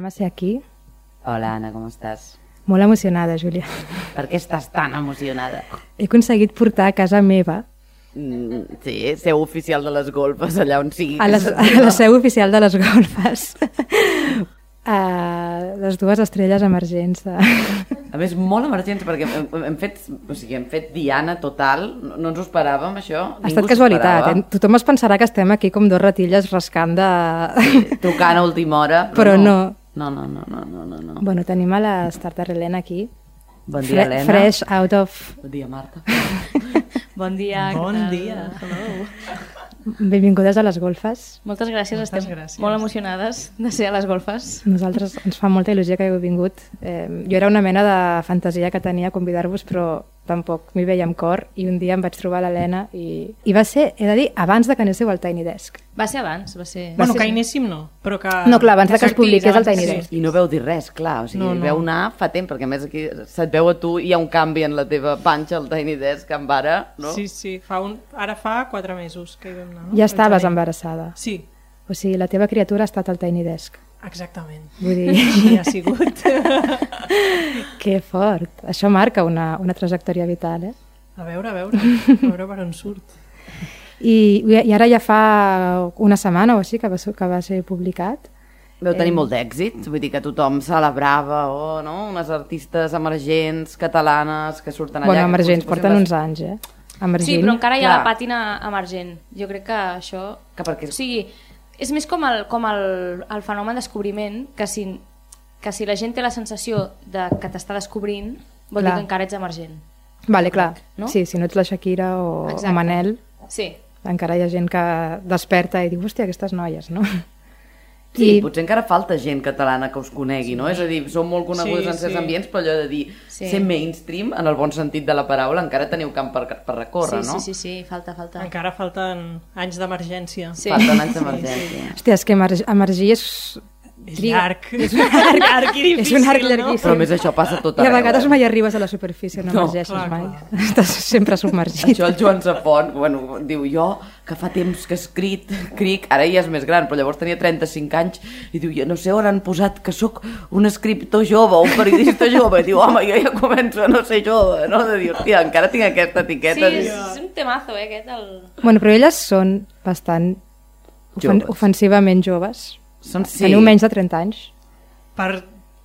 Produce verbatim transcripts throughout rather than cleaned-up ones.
a ser aquí. Hola, Anna, com estàs? Molt emocionada, Júlia. Per què estàs tan emocionada? He aconseguit portar a casa meva, Mm, sí, seu oficial de les golfes, allà on sigui. a, les, a la seu oficial de les golfes, a les dues estrelles emergents. De... A més, molt emergents, perquè hem, hem, fet, o sigui, hem fet diana total, no, no ens ho esperàvem, això. Ha estat casualitat, eh? Tothom es pensarà que estem aquí com dos ratilles rascant de... Sí, trucant a última hora, però, però no. No, no, no, no, no, no, no. Bueno, tenim a la Starter Helena aquí. Bon dia, Helena. Fresh out of... Bon dia, Marta. Bon dia. Bon dia. Hello. Benvingudes a les golfes. Moltes gràcies, Moltes estem gràcies. molt emocionades de ser a les golfes. Nosaltres ens fa molta il·lusió que hagueu vingut. Eh, jo era una mena de fantasia que tenia convidar-vos, però tampoc m'hi veia amb cor, i un dia em vaig trobar l'Helena i, i va ser, he de dir, abans de que anéssiu al Tiny Desk. Va ser abans, va ser... Bueno, ser- que hi anéssim no, però que... No, clar, abans de que es sortís, publiqués el abans Tiny que- Desk. I no veu dir res, clar, o sigui, No, no, no. no. Veu anar fa temps, perquè a més aquí se't veu a tu i hi ha un canvi en la teva panxa al Tiny Desk amb ara, no? Sí, sí, fa un... ara fa quatre mesos que hi vam anar. No? Ja estaves Al gener. embarassada. Sí, O sigui, la teva criatura ha estat al Tiny Desk. exactament. Vull dir, Així ha sigut. que fort. Això marca una, una trajectòria vital, eh? A veure, a veure, a veure per on surt. I, I ara ja fa una setmana o així que va, ser- que va ser publicat. Veu tenir molt d'èxit, vull dir que tothom celebrava, oh, no? Unes artistes emergents, catalanes, que surten allà... Bueno, que emergents, com si porten fossin uns anys, eh? Emergent. Sí, però encara hi ha Clar. la pàtina emergent. Jo crec que això... Que perquè- O sigui, és més com el, com el, el fenomen descobriment, que si, que si la gent té la sensació de que t'està descobrint, vol Clar. dir que encara ets emergent. Vale, clar. No? Sí, si no ets la Shakira o, Exacte. o Manel, Sí. encara hi ha gent que desperta i diu, hòstia, aquestes noies, no? Sí, I- potser encara falta gent catalana que us conegui, no? És a dir, som molt conegudes Sí, en certs sí. ambients, però allò de dir, Sí. ser mainstream, en el bon sentit de la paraula, encara teniu camp per, per recórrer, sí, no? sí, sí, sí, falta, falta. Encara falten anys d'emergència. Sí. Falten anys d'emergència. Hòstia, és que emer emergir és... És triga- llarg. És un arc, arc i difícil, És un arc no? llarguíssim. Però a més això passa tot I a arreu. vegades eh? mai arribes a la superfície, no, No, emergeixes clar, mai. clar. Estàs sempre submergit. Això el Joan Safont, bueno, diu, jo que fa temps que he escrit cric, ara ja és més gran, però llavors tenia trenta-cinc anys, i diu, jo no sé on han posat que sóc un escriptor jove, un periodista jove, i diu, home, jo ja començo a no ser jove, no? De dir, hòstia, encara tinc aquesta Sí, etiqueta. és, diu, és un temazo, eh, aquest. El... Bueno, però elles són bastant ofen Joves. ofensivament joves. Són sí. Teniu menys de trenta anys. Per,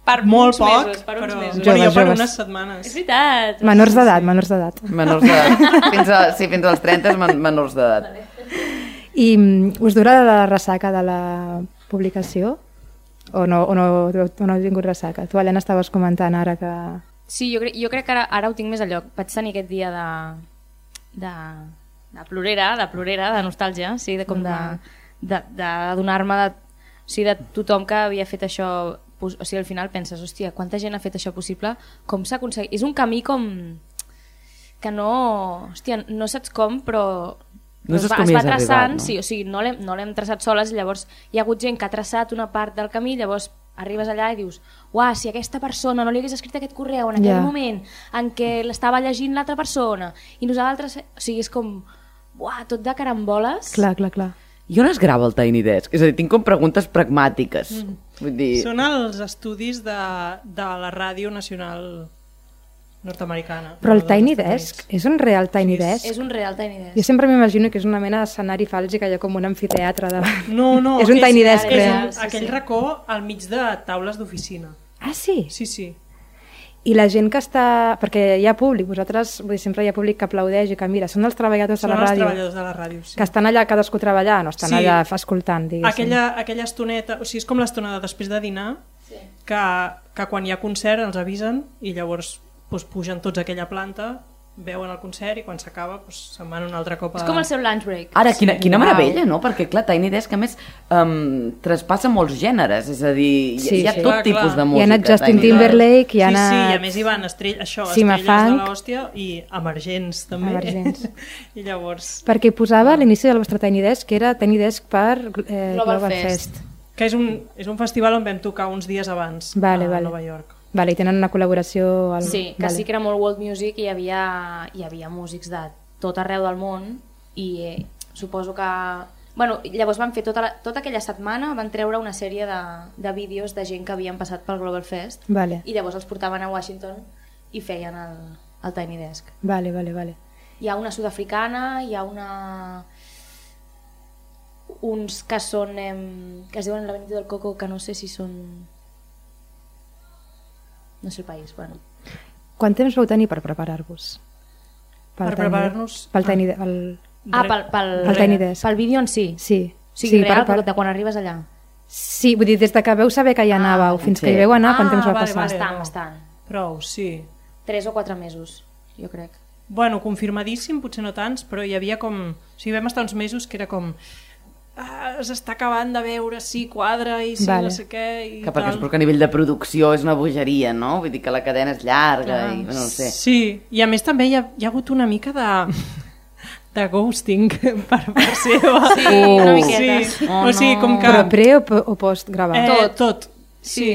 Per molt uns poc, mesos, per uns però mesos. bueno, jo Joves, per joves. unes setmanes. És veritat. Menors d'edat, menors d'edat. Menors d'edat. Fins, a, sí, fins als trenta men menors d'edat. I mm, us dura la ressaca de la publicació? O no, o no, o no heu tingut ressaca? Tu, Helena, estaves comentant ara que... Sí, jo, crec, jo crec que ara, ara ho tinc més a lloc. Vaig tenir aquest dia de, de, de plorera, de plorera, de nostàlgia, sí, de com de, de, de donar-me de, o sigui, de tothom que havia fet això, pos- o sigui, al final penses, hòstia, quanta gent ha fet això possible, com s'ha aconseguit? És un camí com que no, hòstia, no saps com, però No es saps va, com es hi va has arribat, traçant, no? sí, o sigui, no l'hem no l'hem traçat soles, llavors hi ha hagut gent que ha traçat una part del camí, llavors arribes allà i dius, uah, si aquesta persona no li hagués escrit aquest correu en aquell Ja. moment en què l'estava llegint l'altra persona i nosaltres, o sigui, és com uah, tot de caramboles. Clar, clar, clar. I on es grava el Tiny Desk? És a dir, tinc com preguntes pragmàtiques. Mm. Vull dir... Són els estudis de, de la Ràdio Nacional nord-americana. Però el dels Tiny Estats Desk Units. és un real Tiny Desk? És un real Tiny Desk. Jo sempre m'imagino que és una mena d'escenari fals i que hi ha com un amfiteatre davant. No, no. És un Tiny Desk és real. un, Sí, aquell sí. racó al mig de taules d'oficina. Ah, sí? Sí, sí. I la gent que està... Perquè hi ha públic, vosaltres, vull dir, sempre hi ha públic que aplaudeix i que mira, són els treballadors Són de la els ràdio. treballadors de la ràdio, sí. Que estan allà cadascú treballant o estan Sí. allà escoltant, diguéssim. Aquella, aquella estoneta, o sigui, és com l'estona de després de dinar, Sí. que, que quan hi ha concert els avisen i llavors doncs, pugen tots a aquella planta, veuen el concert i quan s'acaba doncs, se'n van un altre cop a... És com el seu lunch break. Ara, quina, quina Uau. meravella, no? Perquè, clar, Tiny Desk, a més, um, traspassa molts gèneres, és a dir, hi, Sí, hi ha sí. tot Clar, tipus clar. de Hi ha música. anat Justin Tiny Desk. Timberlake, hi ha Sí, sí, anat... i a més hi van estrell, això, Sima estrelles de Funk. l'hòstia i emergents també. Emergents. I llavors... Perquè hi posava a l'inici del vostre Tiny Desk, que era Tiny Desk per eh, Global Global Fest. Fest. Que és un, és un festival on vam tocar uns dies abans Vale, a vale. Nova York. Vale, i tenen una col·laboració... Al... Sí, que vale. sí que era molt world music i hi havia, hi havia músics de tot arreu del món i eh, suposo que Bueno, llavors van fer tota, la, tota aquella setmana, van treure una sèrie de, de vídeos de gent que havien passat pel Global Fest Vale, i llavors els portaven a Washington i feien el, el Tiny Desk. vale, vale, vale. Hi ha una sud-africana, hi ha una... uns que són... Em... que es diuen l'Avenida del Coco, que no sé si són... no sé el país, bueno. Quant temps vau tenir per preparar-vos? Per preparar-nos... Pel Tiny Desk. El... Ah, pel, pel, El Tiny Desk. pel vídeo en si. Sí. O sigui, sí, real, per, per... de quan arribes allà. Sí, vull dir, des de que veu saber que hi anàveu fins sí. que hi veu anar, quant Ah, temps va vale, passar? vale. Bastant, no. bastant. Prou, sí. Tres o quatre mesos, jo crec. Bueno, confirmadíssim, potser no tants, però hi havia com... O sigui, vam estar uns mesos que era com... Ah, s'està acabant de veure si quadra i si Vale. no sé què i Que perquè tal. és perquè a nivell de producció és una bogeria, no? Vull dir que la cadena és llarga Clar. i no ho sé. Sí, i a més també hi ha, hi ha hagut una mica de... de ghosting per part seva. Sí, una miqueta. Sí. Oh, o sigui, com no. que... Però pre o, po- o post gravar? Eh, Tot. tot. Sí.